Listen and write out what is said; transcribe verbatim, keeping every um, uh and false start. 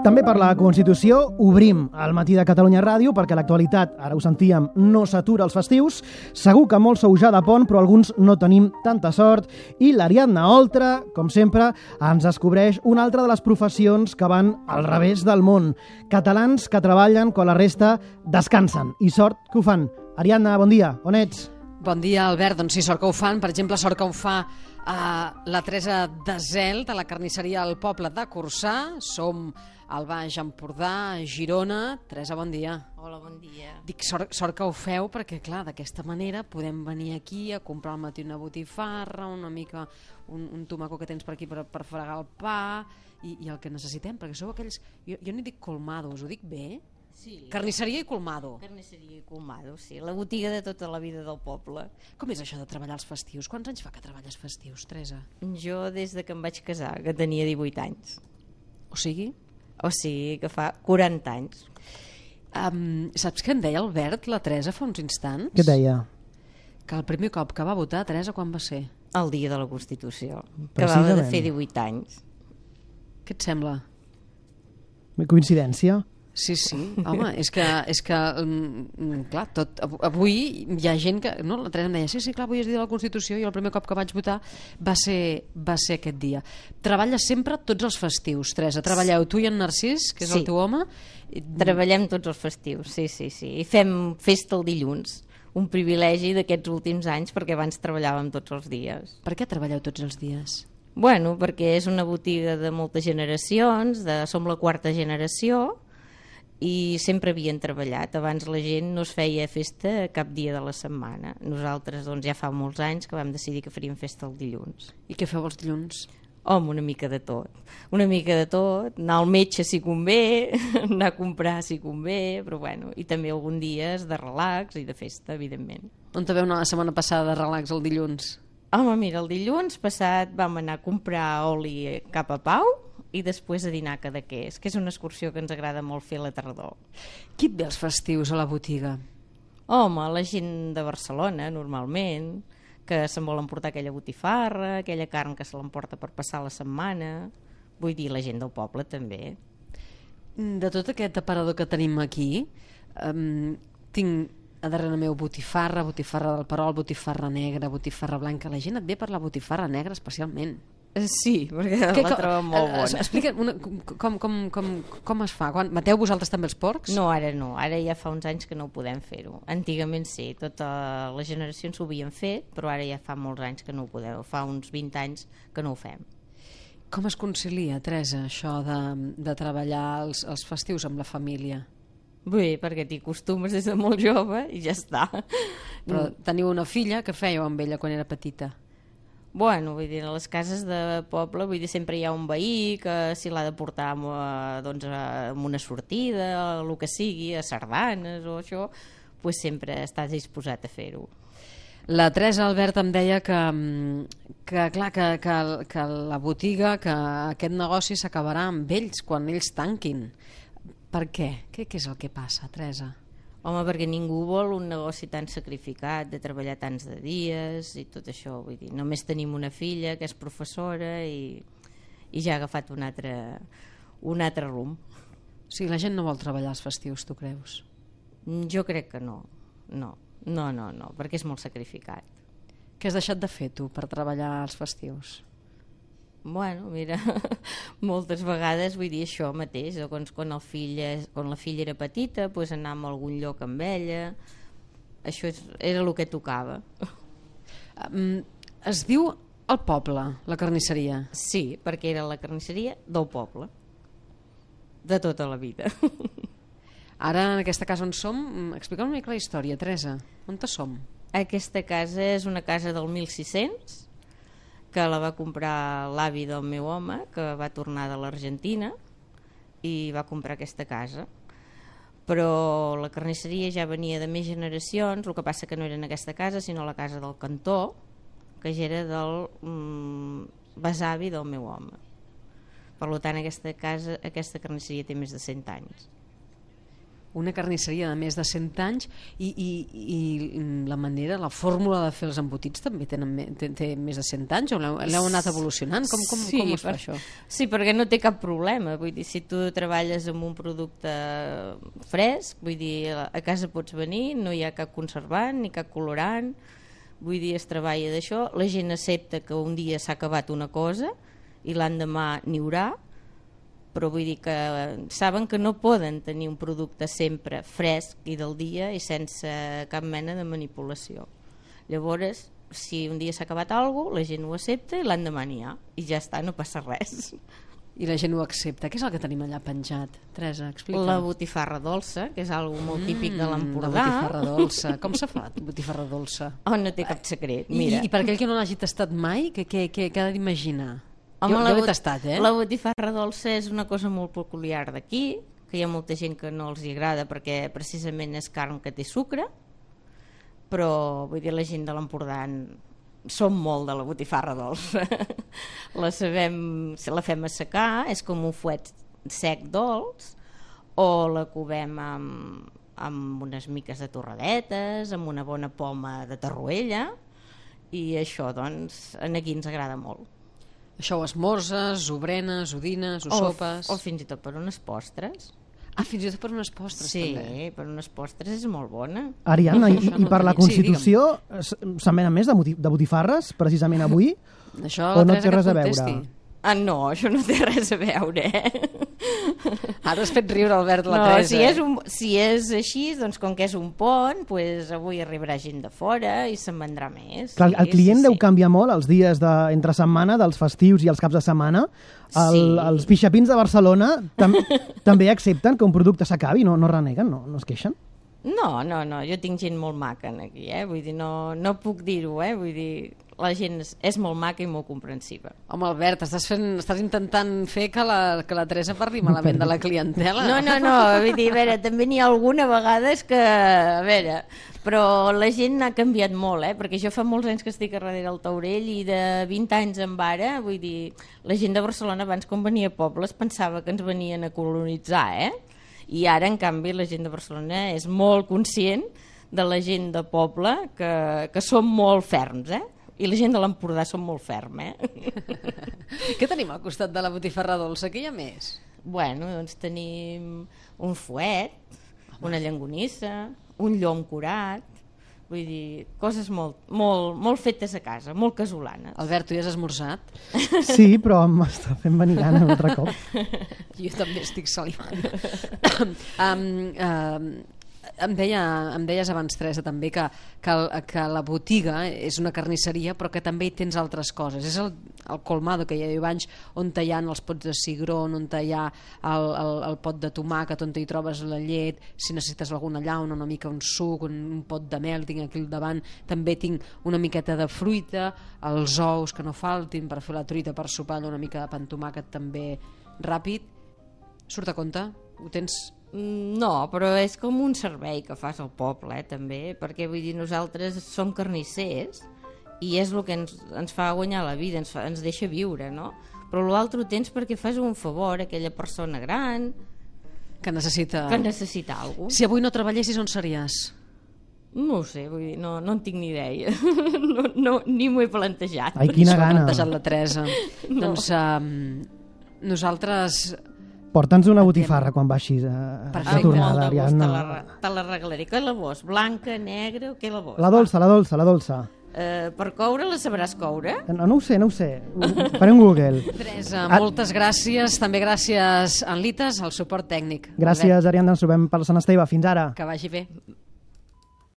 També per la Constitució obrim el Matí de Catalunya Ràdio perquè l'actualitat, ara ho sentíem, no s'atura als festius. Segur que molts sou ja de pont, però alguns no tenim tanta sort. I l'Ariadna Oltra, com sempre, ens descobreix una altra de les professions que van al revés del món. Catalans que treballen quan la resta descansen. I sort que ho fan. Ariadna, bon dia. On ets? Bon dia, Albert. Doncs sí, sort que ho fan. Per exemple, sort que ho fa uh, la Teresa Desel, de la carnisseria al poble de Corçà. Som al Baix Empordà, a Girona. Teresa, bon dia. Hola, bon dia. Dic sort, sort que ho feu perquè, clar, d'aquesta manera podem venir aquí a comprar al matí una botifarra, una mica un, un tomaco que tens per aquí per, per fregar el pa i, i el que necessitem, perquè sou aquells... Jo, jo no dic colmados, ho dic bé? Sí. Carnisseria i colmado. Carnisseria i colmado, sí. La botiga de tota la vida del poble. Com és això de treballar els festius? Quants anys fa que treballes festius, Teresa? Jo des de que em vaig casar, que tenia divuit anys. O sigui? O sigui que fa quaranta anys. Um, saps què em deia Albert, la Teresa, fa uns instants? Què deia? Que el primer cop que va votar, Teresa, quan va ser? El dia de la Constitució. Que va de fer divuit anys. Què et sembla? Coincidència? Sí, sí, home, és que, és que um, clar, tot, avui hi ha gent que, no, la Teresa em deia, sí, sí, clar, avui és dia de la Constitució i el primer cop que vaig votar va ser, va ser aquest dia. Treballes sempre tots els festius, Teresa, treballeu tu i en Narcís, que és sí. el teu home? Treballem tots els festius, sí, sí, sí, i fem festa el dilluns, un privilegi d'aquests últims anys perquè abans treballàvem tots els dies. Per què treballeu tots els dies? Bueno, perquè és una botiga de moltes generacions, de, som la quarta generació, i sempre havien treballat. Abans la gent no es feia festa cap dia de la setmana. Nosaltres doncs, ja fa molts anys que vam decidir que faríem festa el dilluns. I què feu els dilluns? Home, una mica de tot. Una mica de tot, anar al metge si convé, anar a comprar si convé, però bueno, i també algun dies de relax i de festa, evidentment. On te veu anar la setmana passada de relax el dilluns? Home, mira, el dilluns passat vam anar a comprar oli cap a Pau i després a dinar a Cadaqués, que és una excursió que ens agrada molt fer a la tardor. Qui et ve els festius a la botiga? Home, la gent de Barcelona, normalment, que se'n vol emportar aquella botifarra, aquella carn que se l'emporta per passar la setmana. Vull dir, la gent del poble també. De tot aquest aparador que tenim aquí, um, tinc a darrere meu botifarra, botifarra del Perol, botifarra negra, botifarra blanca. La gent et ve per la botifarra negra especialment. Sí, perquè que, la trobem molt bona. Explica una, com, com, com, com es fa. Quan, mateu vosaltres també els porcs? No, ara no. Ara ja fa uns anys que no ho podem fer-ho. Antigament sí, totes les generacions ho havien fet, però ara ja fa molts anys que no ho podeu. Fa uns vint anys que no ho fem. Com es concilia, Teresa, això de, de treballar els, els festius amb la família? Bé, perquè t'hi acostumes des de molt jove i ja està. Però teniu una filla, que fèieu amb ella quan era petita? Bueno, vull dir, a les cases de poble, vull dir, sempre hi ha un veí que si l'ha de portar amb, doncs, amb una sortida, el que sigui, a sardanes o això, pues sempre estàs disposat a fer-ho. La Teresa Albert em deia que, que clar, que, que, que la botiga, que aquest negoci s'acabarà amb ells quan ells tanquin. Per què? Què, què és el que passa, Teresa? Home, perquè ningú vol un negoci tan sacrificat, de treballar tants de dies i tot això. Vull dir, només tenim una filla que és professora i, i ja ha agafat un altre, un altre rumb. O sigui, la gent no vol treballar els festius, tu creus? Jo crec que no. No, no, no, no, perquè és molt sacrificat. Què has deixat de fer, tu, per treballar els festius? Bueno, mira, moltes vegades vull dir això mateix, quan, quan, el fill, quan la filla era petita, pues anàvem a algun lloc amb ella, això és, era el que tocava. Um, es diu el poble, la carnisseria? Sí, perquè era la carnisseria del poble, de tota la vida. Ara, en aquesta casa on som, explica'm una mica la història, Teresa, on te som? Aquesta casa és una casa del mil sis-cents, que la va comprar l'avi del meu home, que va tornar de l'Argentina i va comprar aquesta casa. Però la carnisseria ja venia de més generacions, el que passa que no era en aquesta casa, sinó la casa del cantó, que ja era del mm, besavi del meu home. Per tant, aquesta casa, aquesta carnisseria té més de cent anys. una carnisseria de més de cent anys i, i, i la manera, la fórmula de fer els embotits també tenen, té, té més de cent anys o l'heu anat evolucionant? Com, com, sí, com es fa per, això? Sí, perquè no té cap problema. Vull dir, si tu treballes amb un producte fresc, vull dir, a casa pots venir, no hi ha cap conservant ni cap colorant, vull dir, es treballa d'això, la gent accepta que un dia s'ha acabat una cosa i l'endemà n'hi haurà, però vull dir que saben que no poden tenir un producte sempre fresc i del dia i sense cap mena de manipulació. Llavors, si un dia s'ha acabat alguna cosa, la gent ho accepta i l'endemà n'hi ha, i ja està, no passa res. I la gent ho accepta. Què és el que tenim allà penjat? Teresa, explica. La botifarra dolça, que és algo molt típic de l'Empordà. La botifarra dolça. Com s'ha fet, botifarra dolça? Oh, no té cap secret, mira. I, i per aquell que no l'hagi tastat mai, què, què, què, què ha d'imaginar? Home, jo jo l'he tastat, eh? La botifarra dolça és una cosa molt peculiar d'aquí, que hi ha molta gent que no els hi agrada perquè precisament és carn que té sucre, però vull dir, la gent de l'Empordà som molt de la botifarra dolça. La sabem, si la fem assecar, és com un fuet sec dolç, o la covem amb, amb unes miques de torradetes, amb una bona poma de tarruella, i això, doncs, aquí ens agrada molt. Això ho esmorzes, ho berenes, ho dines, ho o, sopes... O fins i tot per unes postres. Ah, fins i tot per unes postres, sí, també. Sí, per unes postres és molt bona. Ariadna, i, i per la Constitució sí, se'n venen més de, de botifarres, precisament avui? Això o la no Teresa té res que a contesti. veure? Ah, no, això no té res a veure, eh? Ara has fet riure, Albert, la no, Teresa. Si és, un, si és així, doncs com que és un pont, pues avui arribarà gent de fora i se'n vendrà més. Clar, sí, el client sí, deu sí. canviar molt els dies de, entre setmana, dels festius i els caps de setmana. El, Sí. Els pixapins de Barcelona tam, també accepten que un producte s'acabi, no, no reneguen, no, no es queixen? No, no, no, jo tinc gent molt maca aquí, eh? Vull dir, no, no puc dir-ho, eh? Vull dir, la gent és, és molt maca i molt comprensiva. Home, Albert, estàs, fent, estàs intentant fer que la, que la Teresa parli malament de la clientela. No, no, no, vull dir, a veure, també n'hi ha alguna vegada és que, a veure, però la gent ha canviat molt, eh? Perquè jo fa molts anys que estic a darrere del taurell i de vint anys en ara, vull dir, la gent de Barcelona abans quan venia a pobles pensava que ens venien a colonitzar, eh? I ara, en canvi, la gent de Barcelona és molt conscient de la gent de poble que, que som molt ferms, eh? I la gent de l'Empordà som molt ferm, eh? Què tenim al costat de la botifarra dolça? Què hi ha més? Bueno, doncs tenim un fuet, una llonganissa, un llom curat, vull dir, coses molt, molt, molt fetes a casa, molt casolanes. Albert, tu ja has esmorzat? Sí, però m'està fent venir gana un altre cop. Jo també estic salivant. um, um, em, deia, em deies abans, Teresa, també que, que, que la botiga és una carnisseria però que també hi tens altres coses. És el, el colmado que hi ha abans, on hi ha els pots de cigrón, on hi ha el, el, el pot de tomàquet, on hi trobes la llet, si necessites alguna llauna, una mica un suc, un, un pot de mel, tinc aquí al davant. També tinc una miqueta de fruita, els ous que no faltin per fer la truita per sopar, una mica de pa amb tomàquet també ràpid. Surt a compte? Ho tens... No, però és com un servei que fas al poble, eh, també, perquè vull dir, nosaltres som carnissers i és el que ens, ens fa guanyar la vida, ens, fa, ens deixa viure, no? Però l'altre ho tens perquè fas un favor a aquella persona gran que necessita... que necessita alguna cosa. Si avui no treballessis, on series? No ho sé, vull dir, no, no en tinc ni idea. no, no, ni m'ho he plantejat. Ai, quina S'ho ha gana. plantejat la Teresa. No. Doncs um, nosaltres... Porta'ns una botifarra quan baixis a, a Perfecte. tornada, Molt de gust, te Ariadna. la, te la regalaré. Què la vols? Blanca, negra o què la vols? La dolça, la dolça, la dolça. Eh, per coure la sabràs coure? No, no ho sé, no ho sé. Faré un Google. Teresa, Ah. moltes gràcies. També gràcies, Anlites, al suport tècnic. Gràcies, Ariadna. Ens trobem per Sant Esteve. Fins ara. Que vagi bé.